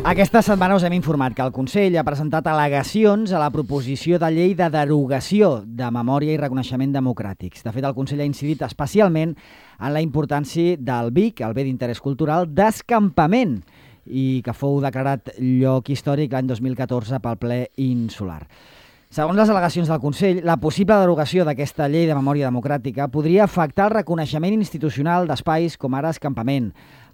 Aquesta setmana us hem informat que el Consell ha presentat al·legacions a la proposició de llei de derogació de memòria i reconeixement democràtics. De fet, el Consell ha incidit especialment en la importància del BIC, el bé d'interès cultural, d'escampament, i que fou declarat lloc històric l'any 2014 pel ple insular. Segons les al·legacions del Consell, la possible derogació d'aquesta llei de memòria democràtica podria afectar el reconeixement institucional d'espais com ara escampament,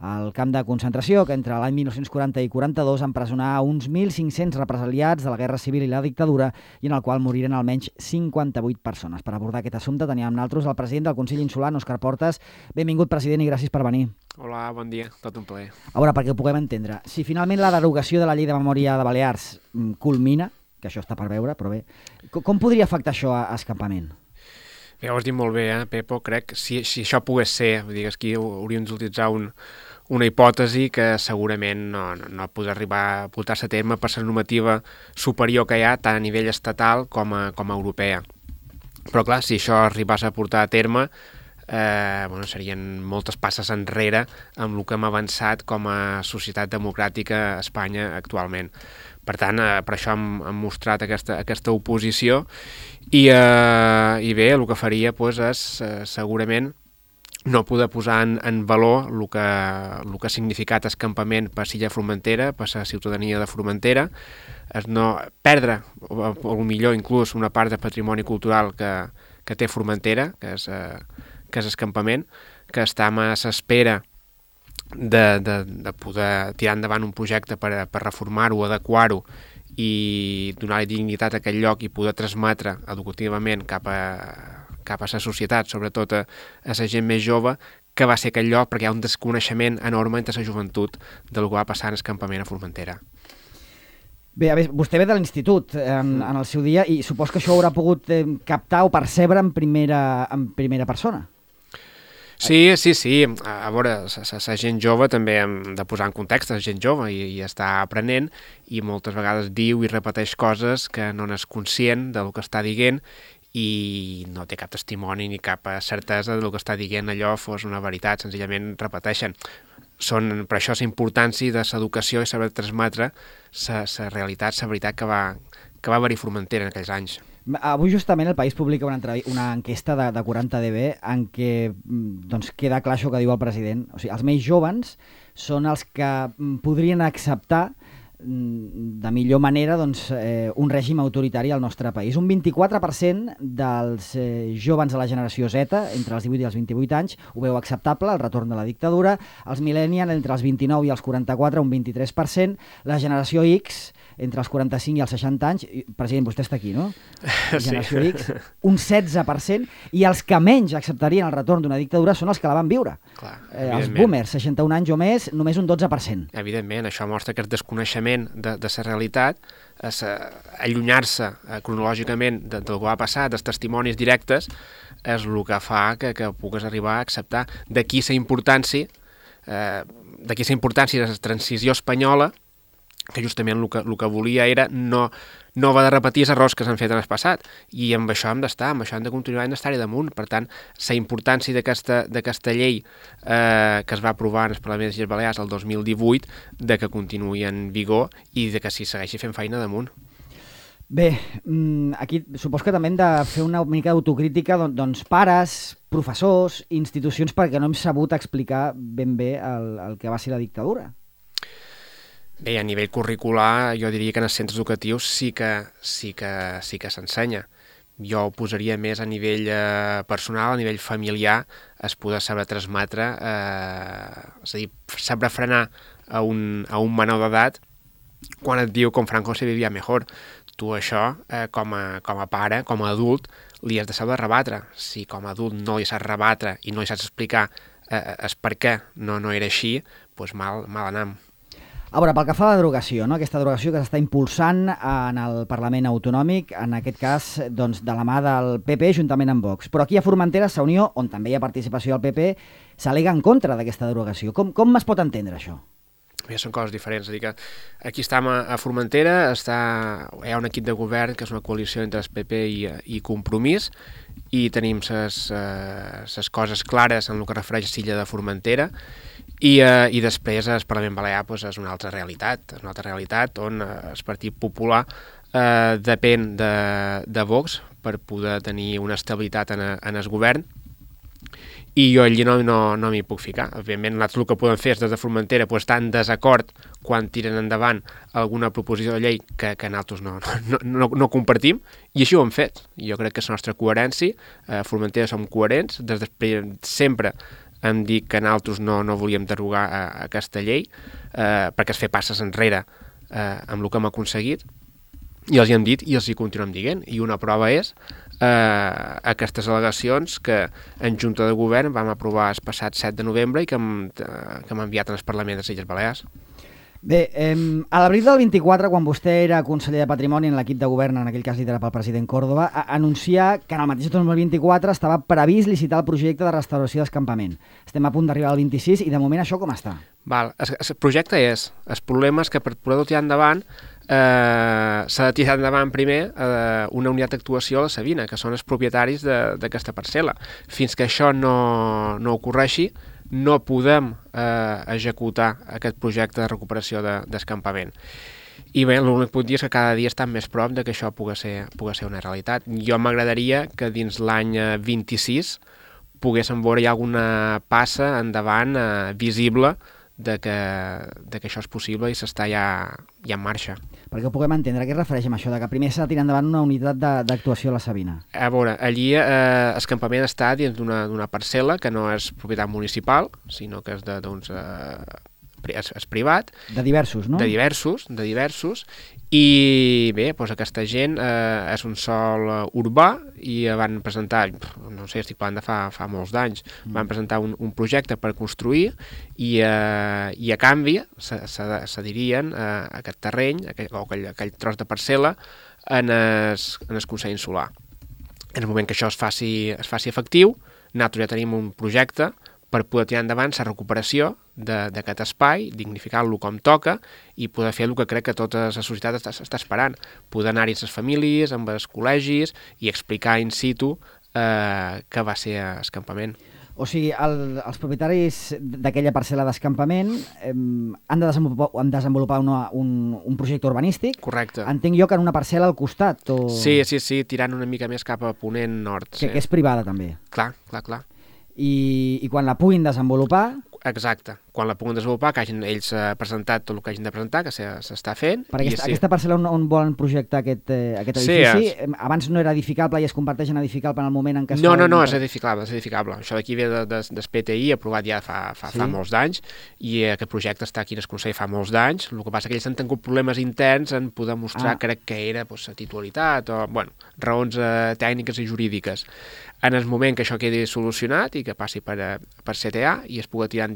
el camp de concentració que entre l'any 1940 i 42 empresonà uns 1.500 represaliats de la Guerra Civil i la dictadura i en el qual moriren almenys 58 persones. Per abordar aquest assumpte teníem amb nosaltres el president del Consell Insular, Òscar Portes. Benvingut, president, i gràcies per venir. Hola, bon dia, tot un plaer. A veure, perquè ho puguem entendre, si finalment la derogació de la llei de memòria de Balears culmina, que això està per veure, però bé, com podria afectar això a escampament? Bé, ho has dit molt bé, Pepo. Crec que si això pogués ser, vull dir que aquí hauríem d'utilitzar una hipòtesi que segurament no podrà arribar a portar-se a terme per la normativa superior que hi ha tant a nivell estatal com a europea. Però clar, si això arribés a portar a terme, serien moltes passes enrere amb el que hem avançat com a societat democràtica a Espanya actualment. Per tant, per això hem mostrat aquesta oposició i bé, el que faria és segurament no poder posar en valor el que ha significat escampament per l'illa Formentera, per la ciutadania de Formentera, no perdre, o millor inclús, una part de patrimoni cultural que té Formentera, que és escampament, que està a l'espera de poder tirar endavant un projecte per reformar-ho, adequar-ho i donar-li dignitat a aquell lloc i poder transmetre educativament cap a la societat, sobretot a la gent més jove, que va ser aquell lloc perquè hi ha un desconeixement enorme entre la joventut del que va passar en escampament a Formentera. Bé, vostè ve de l'institut en el seu dia i supos que això haurà pogut captar o percebre en primera persona. Sí. A veure, la gent jove també hem de posar en context, la gent jove i està aprenent i moltes vegades diu i repeteix coses que no n'és conscient del que està dient i no té cap testimoni ni cap certesa del que està dient allò fos una veritat, senzillament repeteixen. Per això la importància de l'educació i saber transmetre la realitat, la veritat que va haver-hi Formentera en aquells anys. Avui justament el País publica una enquesta de 40 dB en què queda clar això que diu el president. O sigui, els més joves són els que podrien acceptar de millor manera un règim autoritari al nostre país. Un 24% dels joves de la generació Z, entre els 18 i els 28 anys, ho veu acceptable, el retorn de la dictadura. Els millennials, entre els 29 i els 44, un 23%. La generació X, entre els 45 i els 60 anys, president, vostè està aquí, no? Generació X, un 16%, i els que menys acceptarien el retorn d'una dictadura són els que la van viure. Clar, els boomers, 61 anys o més, només un 12%. Evidentment, això mostra que el desconeixement de la realitat, allunyar-se cronològicament del que va passar, dels testimonis directes, és el que fa que pugues arribar a acceptar. D'aquí la importància de la transició espanyola, que justament el que volia era no haver de repetir els errors que s'han fet en el passat, i amb això hem d'estar, amb això hem de continuar, hem d'estar-hi damunt. Per tant, la importància d'aquesta llei que es va aprovar en el Parlament de les Illes Balears el 2018, de que continuï en vigor i de que s'hi segueixi fent feina damunt. Bé, aquí supos que també hem de fer una mica d'autocrítica, pares, professors, institucions, perquè no hem sabut explicar ben bé el que va ser la dictadura. Bé, a nivell curricular, jo diria que en els centres educatius sí que s'ensenya. Jo ho posaria més a nivell personal, a nivell familiar, es poder saber transmetre, és a dir, saber frenar a un menor d'edat quan et diu com Franco se vivia millor. Tu això, com a pare, com a adult, li has de saber rebatre. Si com a adult no li saps rebatre i no li saps explicar el per què no era així, doncs mal anam. A veure, pel que fa a la derogació, aquesta derogació que s'està impulsant en el Parlament Autonòmic, en aquest cas de la mà del PP juntament amb Vox. Però aquí a Formentera, a Unió, on també hi ha participació del PP, s'al·lega en contra d'aquesta derogació. Com es pot entendre això? Bé, són coses diferents. És a dir, que aquí estem a Formentera, hi ha un equip de govern que és una coalició entre el PP i Compromís, i tenim les coses clares en el que refereix a l'illa de Formentera, I després el Parlament Balear és una altra realitat, on el Partit Popular depèn de Vox per poder tenir una estabilitat en el govern, i jo allí no m'hi puc ficar. Òbviament, nosaltres el que podem fer és des de Formentera estar en desacord quan tiren endavant alguna proposició de llei que nosaltres no compartim, i així ho hem fet. Jo crec que és la nostra coherència. A Formentera som coherents, sempre hem dit que nosaltres no volíem derogar aquesta llei, perquè es fer passes enrere amb el que hem aconseguit, i els hi hem dit i els hi continuem dient, i una prova és aquestes al·legacions que en Junta de Govern vam aprovar el passat 7 de novembre i que hem enviat al Parlament de les Illes Balears. Bé, a l'abril del 24, quan vostè era conseller de Patrimoni en l'equip de govern, en aquell cas liderat pel president Córdoba, anuncià que en el mateix 2024 estava previst licitar el projecte de restauració d'escampament. Estem a punt d'arribar al 26 i de moment això com està? El projecte és... El problema és que per poder-ho tirar endavant s'ha de tirar endavant primer una unitat d'actuació a la Sabina, que són els propietaris d'aquesta parcel·la. Fins que això no ocorreixi, no podem executar aquest projecte de recuperació d'escampament. I bé, l'únic que puc dir és que cada dia estan més prop de que això pugui ser una realitat. Jo m'agradaria que dins l'any 26 poguéssim veure ja alguna passa endavant visible de que això és possible i s'està ja en marxa. Perquè ho puguem entendre, a què es refereix amb això, de que primer s'ha de tirar endavant una unitat d'actuació a la Sabina? A veure, allí el campament està dins d'una parcel·la que no és propietat municipal, sinó que és és privat. De diversos, no? De diversos, i bé, doncs aquesta gent és un sòl urbà i van presentar, no sé, estic parlant de fa molts d'anys, van presentar un projecte per construir i a canvi cedirien aquest terreny o aquell tros de parcel·la en el Consell Insular. En el moment que això es faci efectiu, nosaltres ja tenim un projecte per poder tirar endavant la recuperació d'aquest espai, dignificar-lo com toca i poder fer el que crec que tota la societat està esperant. Poder anar-hi amb les famílies, amb els col·legis i explicar in situ què va ser l'escampament. O sigui, els propietaris d'aquella parcel·la d'escampament han de desenvolupar un projecte urbanístic. Correcte. Entenc jo que en una parcel·la al costat. O... Sí, tirant una mica més cap a ponent nord. Que és privada també. Clar. I quan la puguin desenvolupar... Exacte. Quan la puguin desenvolupar, que hagin ells presentat tot el que hagin de presentar, que s'està fent. Per aquesta parcel·la on volen projectar aquest edifici, abans no era edificable i es converteix en edificable en el moment en què... No, és edificable. Això d'aquí ve del PTI, aprovat ja fa molts d'anys, i aquest projecte està aquí en el Consell fa molts d'anys. El que passa que ells han tingut problemes interns en poder mostrar, crec que era la titularitat o, raons tècniques i jurídiques. En el moment que això quedi solucionat i que passi per CTA i es pugui tirar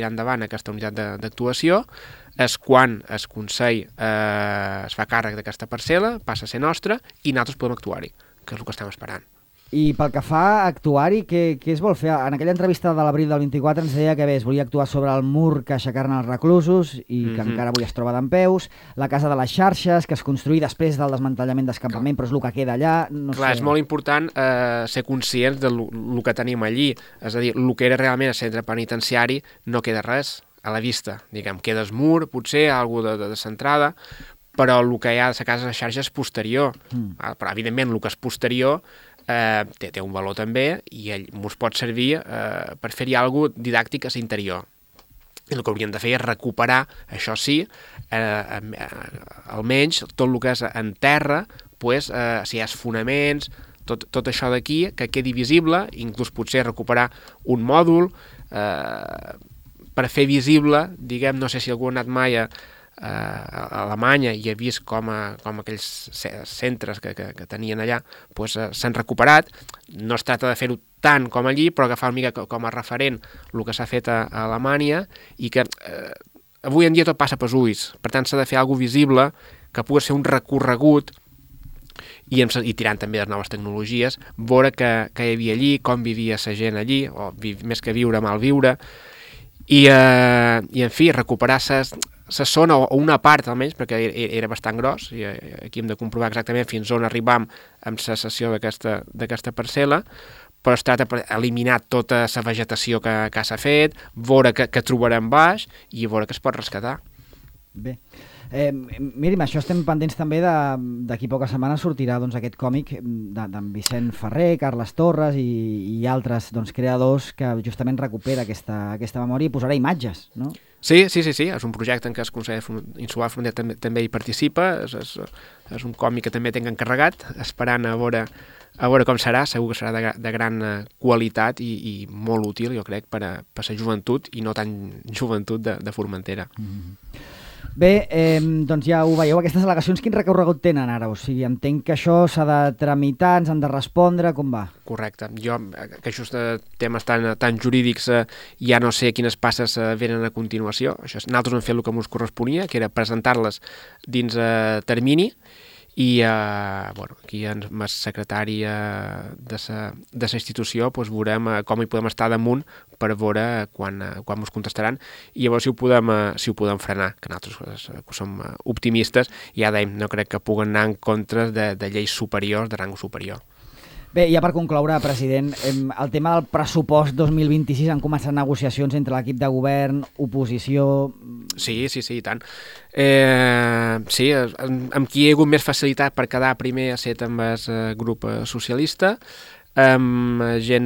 endavant aquesta unitat d'actuació, és quan el Consell es fa càrrec d'aquesta parcel·la, passa a ser nostra i nosaltres podem actuar-hi, que és el que estem esperant. I pel que fa a actuar-hi, què es vol fer? En aquella entrevista de l'abril del 24 ens deia que es volia actuar sobre el mur que aixecaran els reclusos i que encara avui es troba dempeus, la casa de les xarxes, que es construï després del desmantellament d'escampament, però és el que queda allà. És molt important ser conscients del que tenim allí. És a dir, el que era realment el centre penitenciari no queda res a la vista. Diguem, queda el mur, potser, alguna de centrada, però el que hi ha de la casa de les xarxes és posterior. Però, evidentment, el que és posterior té un valor també i ens pot servir per fer-hi alguna cosa didàctic a l'interior. I el que hauríem de fer és recuperar, això sí, almenys tot el que és en terra, si hi ha fonaments, tot això d'aquí, que quedi visible, inclús potser recuperar un mòdul per fer visible, diguem, no sé si algú ha anat mai a Alemanya i ha vist com aquells centres que tenien allà s'han recuperat. No es tracta de fer-ho tant com allí, però agafar una mica com a referent el que s'ha fet a Alemanya i que avui en dia tot passa pels ulls. Per tant, s'ha de fer alguna cosa visible que pugui ser un recorregut i tirant també de noves tecnologies, veure què hi havia allí, com vivia la gent allí, o més que viure, mal viure, i en fi, recuperar la zona, o una part almenys, perquè era bastant gros, i aquí hem de comprovar exactament fins on arribam amb la cessió d'aquesta parcel·la, però es tracta d'eliminar tota la vegetació que s'ha fet, veure què trobarem baix i veure què es pot rescatar. Bé. Miri, això estem pendents també d'aquí poques setmanes sortirà doncs, aquest còmic d'en Vicent Ferrer, Carles Torres i altres creadors que justament recupera aquesta memòria i posarà imatges, no? Sí, és un projecte en què el Consell Insular Frontera també hi participa, és un còmic que també tinc encarregat, esperant a veure com serà, segur que serà de gran qualitat i molt útil, jo crec, per a la joventut i no tan joventut de Formentera. Bé, doncs ja ho veieu, aquestes al·legacions quin recorregut tenen ara? O sigui, entenc que això s'ha de tramitar, ens han de respondre, com va? Correcte. Jo, que això de temes tan jurídics, ja no sé quines passes venen a continuació. Nosaltres hem fet el que ens corresponia, que era presentar-les dins termini, i aquí amb el secretari de la institució veurem com hi podem estar damunt per veure quan ens contestaran i llavors si ho podem frenar, que nosaltres som optimistes i ja dèiem, no crec que puguen anar en contra de lleis superiors, de rang superior. Bé, ja per concloure, president, el tema del pressupost 2026 han començat negociacions entre l'equip de govern, oposició... Sí, i tant. Sí, amb qui hi ha hagut més facilitat per quedar primer ha estat amb el grup socialista, amb gent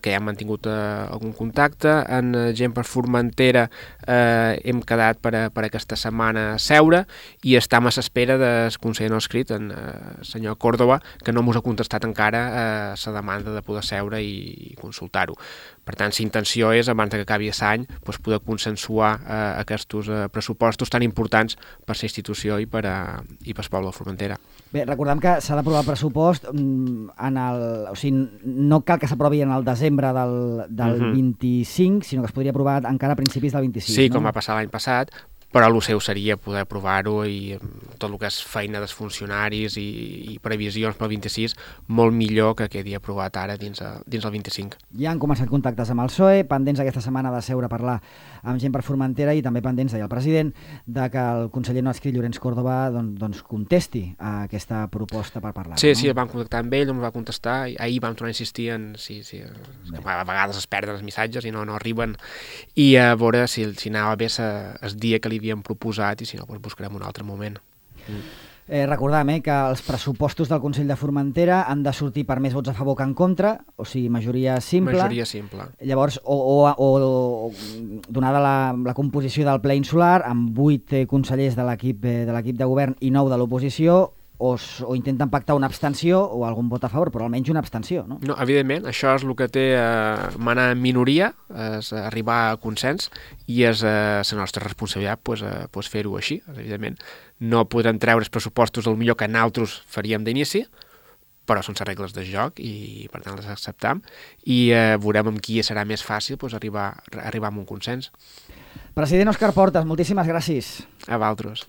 que ja han mantingut algun contacte, amb gent per Formentera hem quedat per aquesta setmana a seure i estem a l'espera del conseller no escrit, el senyor Córdoba, que no ens ha contestat encara la demanda de poder seure i consultar-ho. Per tant, la intenció és, abans que acabi l'any, poder consensuar aquests pressupostos tan importants per la institució i per al poble de Formentera. Bé, recordem que s'ha d'aprovar el pressupost o sigui, no cal que s'aprovi en el desembre del 25, sinó que es podria aprovar encara a principis del 26. Sí, com va passar l'any passat, però el seu seria poder aprovar-ho i tot el que és feina dels funcionaris i previsions pel 26, molt millor que quedi aprovat ara dins el 25. Ja han començat contactes amb el PSOE, pendents aquesta setmana de seure a parlar amb gent per Formentera i també pendents, deia el president, de que el conseller no escrit Llorenç Córdoba doncs contesti a aquesta proposta per parlar. Sí, no? Sí, vam contactar amb ell, no ens va contestar, ahir vam tornar a insistir en que a vegades es perden els missatges i no arriben, i a veure si anava bé el dia que li havíem proposat i si no, buscarem un altre moment. Recordem que els pressupostos del Consell de Formentera han de sortir per més vots a favor que en contra, o sigui, majoria simple. Majoria simple. Llavors, o donada la composició del ple insular, amb 8 consellers de l'equip de govern i 9 de l'oposició, o intenten pactar una abstenció o algun vot a favor, però almenys una abstenció, no? No, evidentment, això és el que té manar en minoria, és arribar a consens, i és la nostra responsabilitat fer-ho així, evidentment. No podrem treure els pressupostos el millor que nosaltres faríem d'inici, però són les regles del joc i per tant les acceptam i veurem amb qui serà més fàcil arribar a un consens. President Òscar Portas, moltíssimes gràcies. A vosaltres.